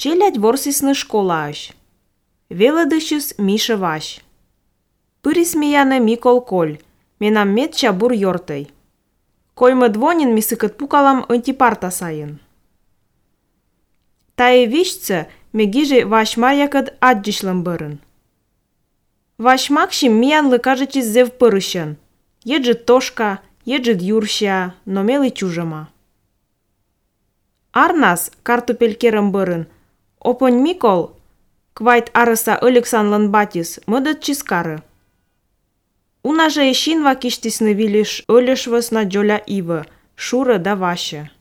Челядь ворсисны школааш. Велыдышыс Миша Вась. Пырисмияны Микол Коль. Менам мет чабур йортай. Коймы двонин мисыкыт пукалам антипарта сайын. Тае вишцы мегиже Вашмарякыд аджишлым бырын. Вашмакшим миянлы кажычис зев пырышын. Еджит тошка, еджит юрща, но мелы чужама. Арнас картопелькерым бырын. Опонь Микол, квайт арыса Алексанлан батис, мыдыт чискары. Унаже ешин вакиштисны вилиш өлешвыс на джоля ивы, шуры да ваше.